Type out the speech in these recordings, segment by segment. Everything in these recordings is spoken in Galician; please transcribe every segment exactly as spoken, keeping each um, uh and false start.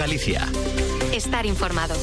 Galicia. Estar informado.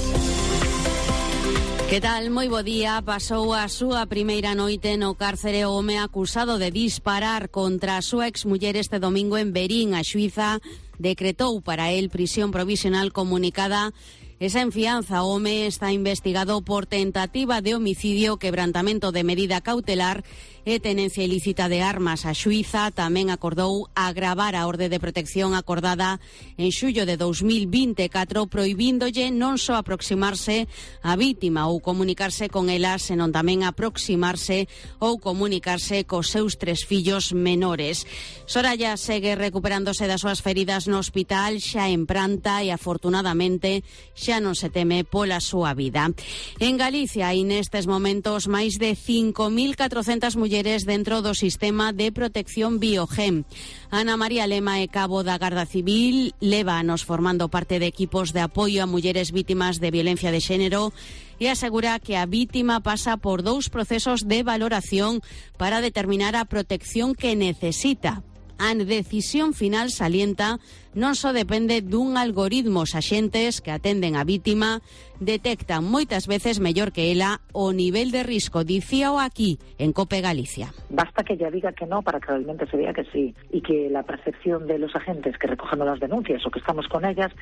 Que tal? Moi bo día. Pasou a súa primeira noite no cárcere o home acusado de disparar contra a súa exmuller este domingo en Verín. A xuíza decretou para el prisión provisional comunicada. Esa en fianza. O home está investigado por tentativa de homicidio, quebrantamento de medida cautelar e tenencia ilícita de armas. A xuíza tamén acordou agravar a orde de protección acordada en xullo de dos mil vinte e catro, proibíndolle non só aproximarse á vítima ou comunicarse con ela, senón tamén aproximarse ou comunicarse cos seus tres fillos menores. Soraya segue recuperándose das súas feridas no hospital, xa en pranta, e afortunadamente xa non se teme pola súa vida. En Galicia hai nestes momentos máis de cinco mil catrocentas mulleres dentro do sistema de protección Biogen. Ana María Lema é cabo da Garda Civil, leva anos formando parte de equipos de apoio a mulleres vítimas de violencia de xénero e asegura que a vítima pasa por dous procesos de valoración para determinar a protección que necesita. A decisión final, salienta, non só depende dun algoritmo. Os axentes que atenden a vítima detectan moitas veces mellor que ela o nivel de risco. Dicíao aquí, en COPE Galicia. Basta que ella diga que no para que realmente se vea que sí, y que la percepción de los agentes que recogemos las denuncias o que estamos con ellas,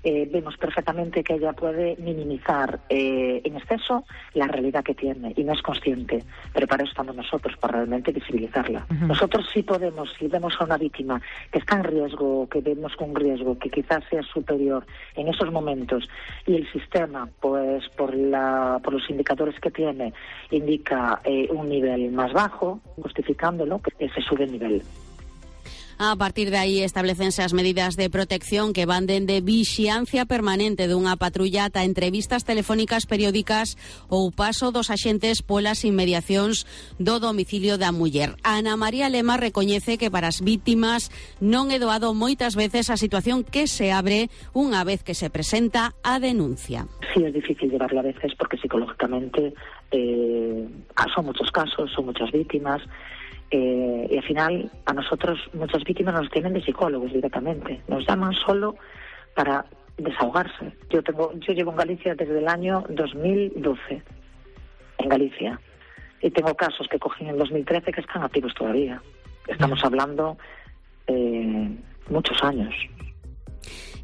eh, vemos perfectamente que ella puede minimizar eh, en exceso la realidad que tiene y no es consciente, pero para eso estamos nosotros, para realmente visibilizarla. Uh-huh. Nosotros sí podemos, si vemos a una víctima que está en riesgo, que vemos con riesgo, que quizás sea superior en esos momentos, y el sistema, pues por la por los indicadores que tiene, indica eh, un nivel más bajo, justificándolo, que se sube el nivel. A partir de aí establecense as medidas de protección que van dende vixiancia permanente dunha patrulla ata entrevistas telefónicas periódicas ou paso dos axentes polas inmediacións do domicilio da muller. Ana María Lema recoñece que para as vítimas non é doado moitas veces a situación que se abre unha vez que se presenta a denuncia. Sí, es difícil llevarla a veces porque psicológicamente eh, son muchos casos, son muchas vítimas. Eh, y al final a nosotros muchas víctimas nos tienen de psicólogos directamente, nos llaman solo para desahogarse. Yo tengo, yo llevo en Galicia desde el año dos mil doce en Galicia y tengo casos que cogí en el dos mil trece que están activos todavía. Estamos hablando eh, muchos años.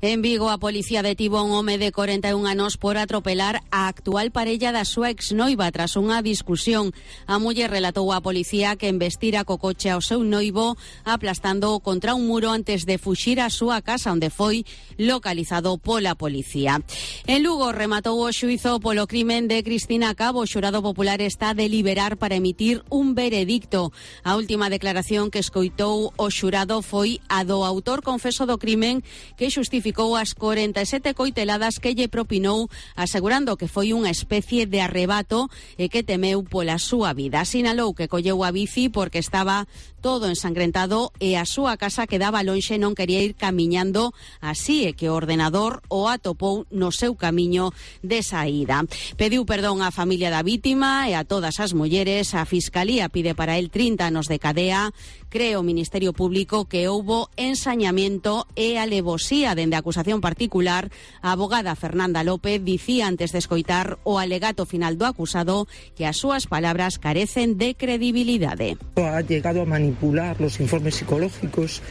En Vigo, a policía detivo a un home de corenta e un anos por atropelar a actual parella da súa exnoiva tras unha discusión. A muller relatou á policía que embestira co coche ao seu noivo aplastando contra un muro antes de fuxir á súa casa, onde foi localizado pola policía. En Lugo rematou o xuízo polo crimen de Cristina Cabo. O xurado popular está a deliberar para emitir un veredicto. A última declaración que escoitou o xurado foi a do autor confeso do crimen, que xustificou as corenta e sete coiteladas que lle propinou, asegurando que foi unha especie de arrebato e que temeu pola súa vida. Sinalou que colleu a bici porque estaba todo ensangrentado e a súa casa quedaba lonxe, non quería ir camiñando, así é que o ordenador o atopou no seu camiño de saída. Pediu perdón á familia da vítima e a todas as mulleres. A Fiscalía pide para el trinta anos de cadea. Cree o Ministerio Público que houbo ensañamiento e alevosía dende a acusación particular. A abogada Fernanda López dicía antes de escoitar o alegato final do acusado que as súas palabras carecen de credibilidade. Ha llegado a manipular los informes psicológicos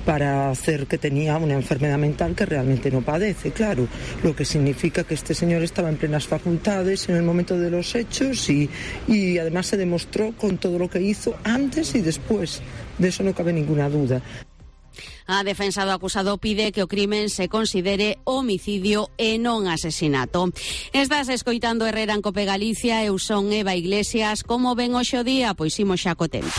para hacer que tenía una enfermedad mental que realmente no padece, claro, lo que significa que este señor estaba en plenas facultades en el momento de los hechos y, y además se demostró con todo lo que hizo antes y después, de eso no cabe ninguna duda. A defensa do acusado pide que o crimen se considere homicidio e non asesinato. Estás escoitando Herrera en Cope Galicia, eu son Eva Iglesias. Como ven hoxe o día? Pois imos xa co tempo.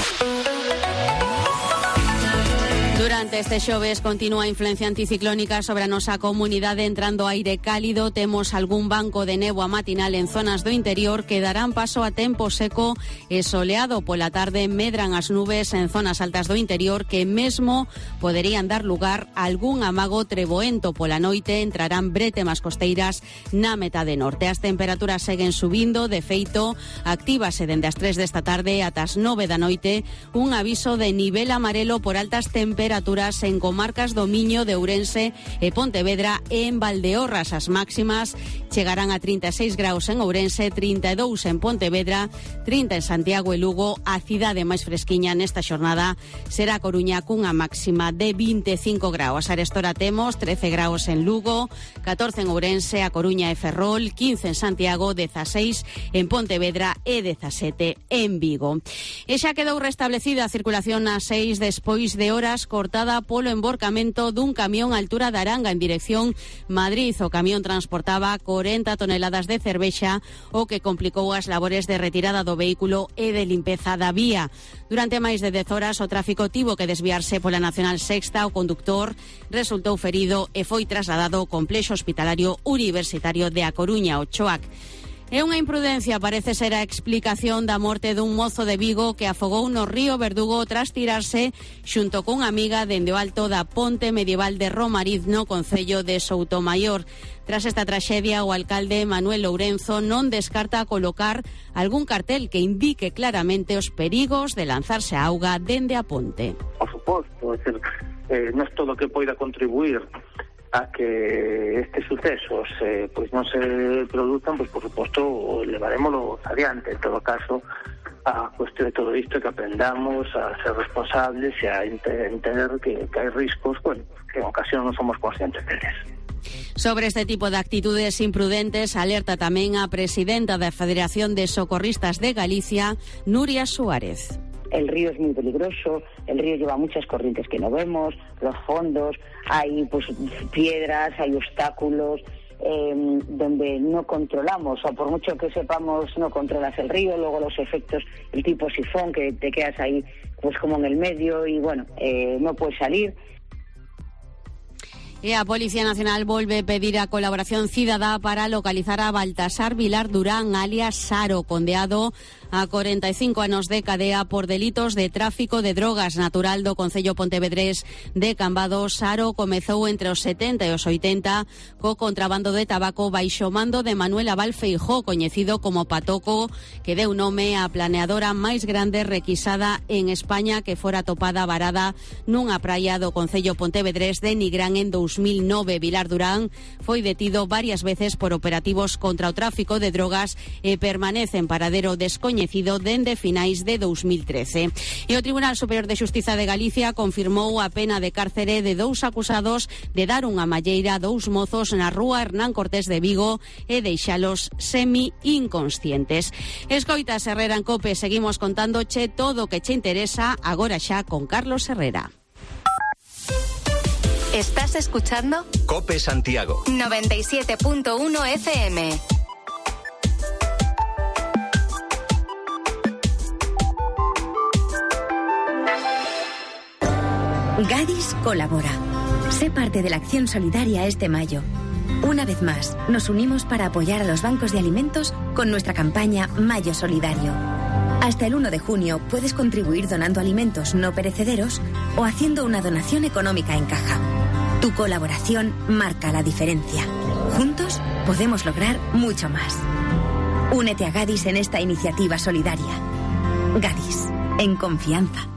Durante este xoves continúa a influencia anticiclónica sobre a nosa comunidade, entrando aire cálido. Temos algún banco de néboa matinal en zonas do interior que darán paso a tempo seco e soleado. Pola tarde medran as nubes en zonas altas do interior que mesmo poderían dar lugar a algún amago treboento. Pola noite entrarán brétemas costeiras na metade norte. As temperaturas seguen subindo, de feito, actívase dende as tres desta tarde ata as nove da noite un aviso de nivel amarelo por altas temperaturas temperaturas en comarcas do Miño, de Ourense e Pontevedra e en Valdeorras. As máximas chegarán a trinta e seis graus en Ourense, trinta e dous en Pontevedra, trinta en Santiago e Lugo. A cidade máis fresquiña nesta xornada será a Coruña cunha máxima de vinte e cinco graus. A restora temos trece graus en Lugo, catorce en Ourense, a Coruña e Ferrol, quince en Santiago, dezaseis en Pontevedra e dezasete en Vigo. E xa quedou restablecida a circulación a seis despois de horas cortada polo emborcamento dun camión á altura de Aranga en dirección Madrid. O camión transportaba corenta toneladas de cervexa, o que complicou as labores de retirada do vehículo e de limpeza da vía. Durante máis de dez horas o tráfico tivo que desviarse pola Nacional Sexta. O conductor resultou ferido e foi trasladado ao complexo hospitalario universitario de A Coruña, o CHOAC. É unha imprudencia, parece ser a explicación da morte dun mozo de Vigo que afogou no río Verdugo tras tirarse xunto cunha amiga dende o alto da ponte medieval de Romariz, no concello de Soutomaior. Tras esta traxedia, o alcalde Manuel Lourenzo non descarta colocar algún cartel que indique claramente os perigos de lanzarse a auga dende a ponte. Por suposto, é dicir, eh, non é todo o que poida contribuir a que estes sucesos eh, pois non se produzan, pois por suposto levarémoslo adiante. En todo caso, a cuestión de todo isto é que aprendamos a ser responsables e a entender que, que hai riscos, bueno, que en ocasión non somos conscientes deles. Sobre este tipo de actitudes imprudentes alerta tamén a presidenta da Federación de Socorristas de Galicia, Nuria Suárez. El río es muy peligroso, el río lleva muchas corrientes que no vemos, los fondos, hay pues piedras, hay obstáculos eh, donde no controlamos, o por mucho que sepamos no controlas el río, luego los efectos, el tipo sifón, que te quedas ahí pues como en el medio y bueno, eh, no puedes salir. E a Policía Nacional volve pedir a colaboración cidadá para localizar a Baltasar Vilar Durán, alias Saro, condeado a cuarenta e cinco anos de cadea por delitos de tráfico de drogas. Natural do concello pontevedrés de Cambados, Saro comezou entre os setenta e os oitenta co contrabando de tabaco baixo mando de Manuel Abal Feijó, coñecido como Patoco, que deu nome á planeadora máis grande requisada en España, que fora topada varada nunha praia do concello pontevedrés de Nigrán en dous mil nove. Vilar Durán foi detido varias veces por operativos contra o tráfico de drogas e permanece en paradero descoñecido dende finais de dous mil trece. E o Tribunal Superior de Xustiza de Galicia confirmou a pena de cárcere de dous acusados de dar unha malleira a dous mozos na rúa Hernán Cortés de Vigo e deixalos semi-inconscientes. Escoitas Herrera en COPE, seguimos contándoche todo o que che interesa agora xa con Carlos Herrera. ¿Estás escuchando? COPE Santiago noventa y siete punto uno F M. Gadis colabora. Sé parte de la acción solidaria este mayo. Una vez más, nos unimos para apoyar a los bancos de alimentos con nuestra campaña Mayo Solidario. Hasta el uno de junio puedes contribuir donando alimentos no perecederos o haciendo una donación económica en caja. Tu colaboración marca la diferencia. Juntos podemos lograr mucho más. Únete a Gadis en esta iniciativa solidaria. Gadis, en confianza.